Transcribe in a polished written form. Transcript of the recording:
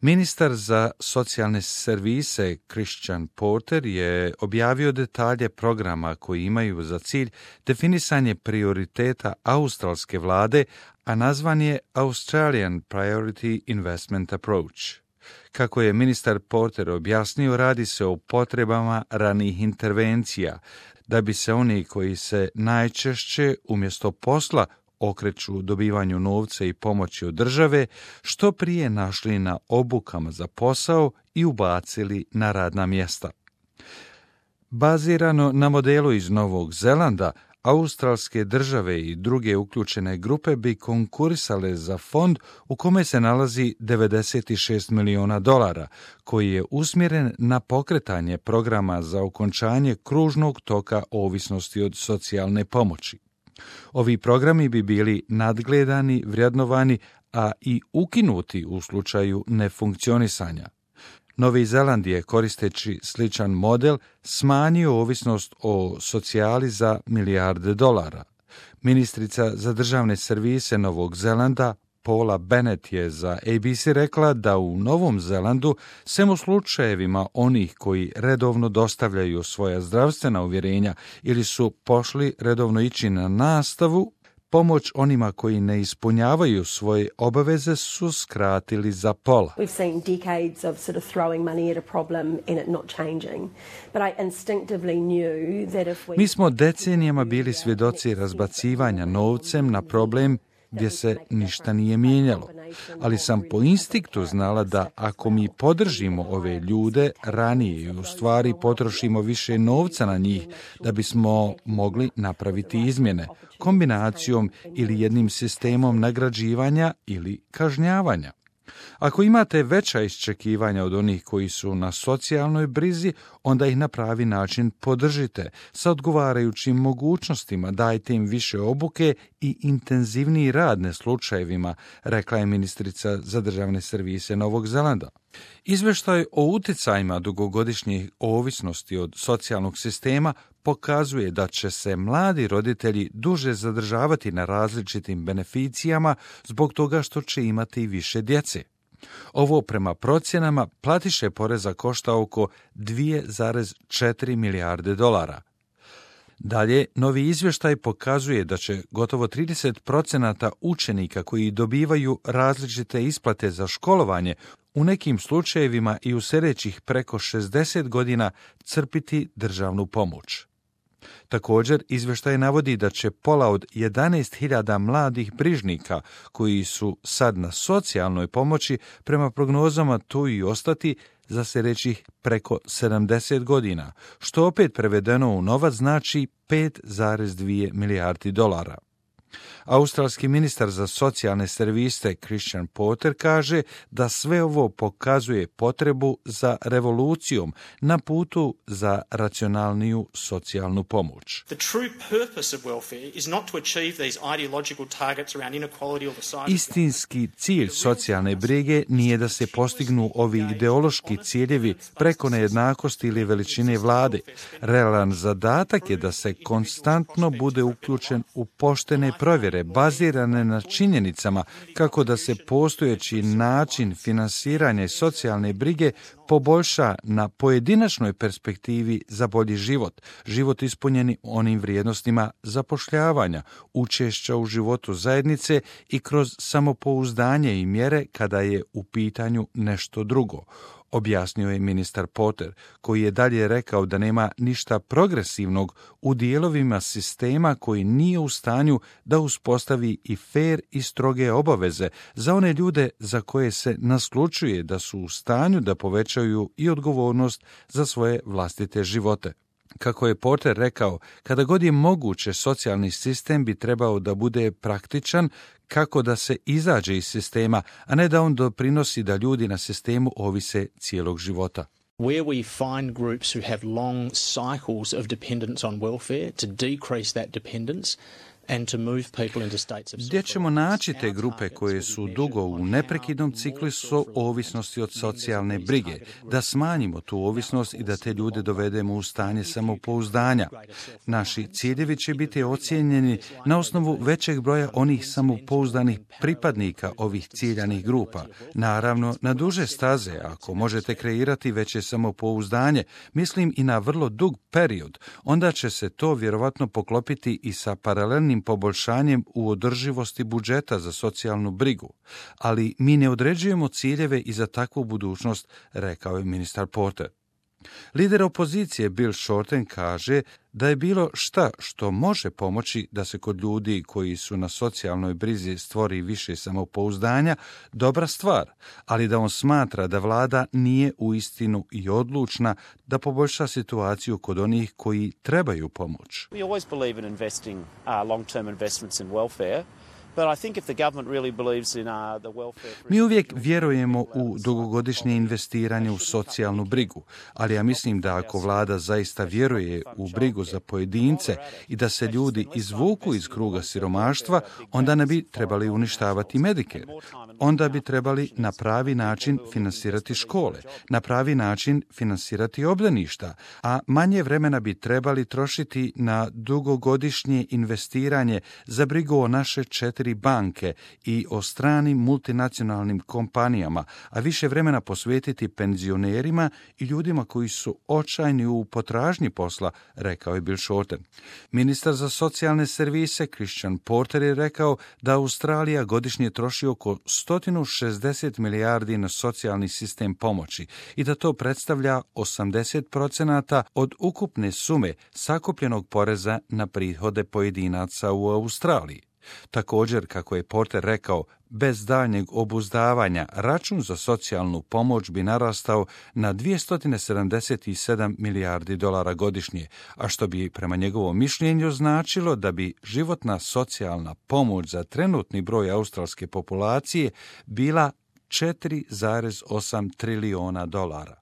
Ministar za socijalne servise Christian Porter je objavio detalje programa koji imaju za cilj definisanje prioriteta australske vlade, a nazvan je Australian Priority Investment Approach. Kako je ministar Porter objasnio, radi se o potrebama ranih intervencija, da bi se oni koji se najčešće umjesto posla okreću dobivanju novca i pomoći od države, što prije našli na obukama za posao i ubacili na radna mjesta. Bazirano na modelu iz Novog Zelanda, australske države i druge uključene grupe bi konkurisale za fond u kome se nalazi $96 miliona, koji je usmjeren na pokretanje programa za okončanje kružnog toka ovisnosti od socijalne pomoći. Ovi programi bi bili nadgledani, vrednovani, a i ukinuti u slučaju nefunkcionisanja. Novi Zeland je, koristeći sličan model, smanjio ovisnost o socijali za milijarde dolara. Ministrica za državne servise Novog Zelanda, Paula Bennett, je za ABC rekla da u Novom Zelandu, sem u slučajevima onih koji redovno dostavljaju svoja zdravstvena uvjerenja ili su pošli redovno ići na nastavu, pomoć onima koji ne ispunjavaju svoje obaveze su skratili za pola. We've seen decades of sort of throwing money at a problem and it not changing. But I instinctively knew that if we... Mi smo decenijama bili svjedoci razbacivanja novcem na problem gdje se ništa nije mijenjalo, ali sam po instinktu znala da ako mi podržimo ove ljude ranije i u stvari potrošimo više novca na njih, da bismo mogli napraviti izmjene, kombinacijom ili jednim sistemom nagrađivanja ili kažnjavanja. Ako imate veća iščekivanja od onih koji su na socijalnoj brizi, onda ih na pravi način podržite, sa odgovarajućim mogućnostima, dajte im više obuke i intenzivniji rad na slučajevima, rekla je ministrica za državne servise Novog Zelanda. Izvještaj o utjecajima dugogodišnjih ovisnosti od socijalnog sistema pokazuje da će se mladi roditelji duže zadržavati na različitim beneficijama zbog toga što će imati više djece. Ovo prema procjenama platiše poreza košta oko $2,4 milijarde. Dalje, novi izvještaj pokazuje da će gotovo 30% učenika koji dobivaju različite isplate za školovanje u nekim slučajevima i u sljedećih preko 60 godina crpiti državnu pomoć. Također, izvještaj navodi da će pola od 11.000 mladih brižnika koji su sad na socijalnoj pomoći prema prognozama tu i ostati za sljedećih preko 70 godina, što opet prevedeno u novac znači $5,2 milijardi. Australski ministar za socijalne servise Christian Porter kaže da sve ovo pokazuje potrebu za revolucijom na putu za racionalniju socijalnu pomoć. Istinski cilj socijalne brige nije da se postignu ovi ideološki ciljevi preko nejednakosti ili veličine vlade. Realan zadatak je da se konstantno bude uključen u poštene provjere bazirane na činjenicama kako da se postojeći način finansiranja i socijalne brige poboljša na pojedinačnoj perspektivi za bolji život, život ispunjeni onim vrijednostima zapošljavanja, učešća u životu zajednice i kroz samopouzdanje i mjere kada je u pitanju nešto drugo, objasnio je ministar Porter, koji je dalje rekao da nema ništa progresivnog u dijelovima sistema koji nije u stanju da uspostavi i fer i stroge obaveze za one ljude za koje se naslučuje da su u stanju da povećaju i odgovornost za svoje vlastite živote. Kako je Porter rekao, kada god je moguće, socijalni sistem bi trebao da bude praktičan kako da se izađe iz sistema, a ne da on doprinosi da ljudi na sistemu ovise cijelog života. Where we find groups who have long cycles of dependence on welfare, to decrease that dependence, Gdje ćemo naći te grupe koje su dugo u neprekidnom ciklusu ovisnosti od socijalne brige, da smanjimo tu ovisnost i da te ljude dovedemo u stanje samopouzdanja. Naši ciljevi će biti ocijenjeni na osnovu većeg broja onih samopouzdanih pripadnika ovih ciljanih grupa. Naravno, na duže staze, ako možete kreirati veće samopouzdanje, mislim i na vrlo dug period, onda će se to vjerovatno poklopiti i sa paralelnim poboljšanjem u održivosti budžeta za socijalnu brigu. Ali mi ne određujemo ciljeve i za takvu budućnost, rekao je ministar Porter. Lider opozicije Bill Shorten kaže da je bilo šta što može pomoći da se kod ljudi koji su na socijalnoj brizi stvori više samopouzdanja dobra stvar, ali da on smatra da vlada nije uistinu i odlučna da poboljša situaciju kod onih koji trebaju pomoć. We always believe in investing long-term investments in welfare. But I think if the government really believes in the welfare... Mi uvijek vjerujemo u dugogodišnje investiranje u socijalnu brigu, ali ja mislim da ako vlada zaista vjeruje u brigu za pojedince i da se ljudi izvuku iz kruga siromaštva, onda ne bi trebali uništavati Medicare. Onda bi trebali na pravi način finansirati škole, na pravi način finansirati obdaništa, a manje vremena bi trebali trošiti na dugogodišnje investiranje za brigu o naše 4 banke i o stranim multinacionalnim kompanijama, a više vremena posvetiti penzionerima i ljudima koji su očajni u potražnji posla, rekao je Bill Shorten. Ministar za socijalne servise Christian Porter je rekao da Australija godišnje troši oko 160 milijardi na socijalni sistem pomoći i da to predstavlja 80% od ukupne sume sakupljenog poreza na prihode pojedinaca u Australiji. Također, kako je Porter rekao, bez daljnjeg obuzdavanja račun za socijalnu pomoć bi narastao na 277 milijardi dolara godišnje, a što bi prema njegovom mišljenju značilo da bi životna socijalna pomoć za trenutni broj australske populacije bila 4,8 trilijona dolara.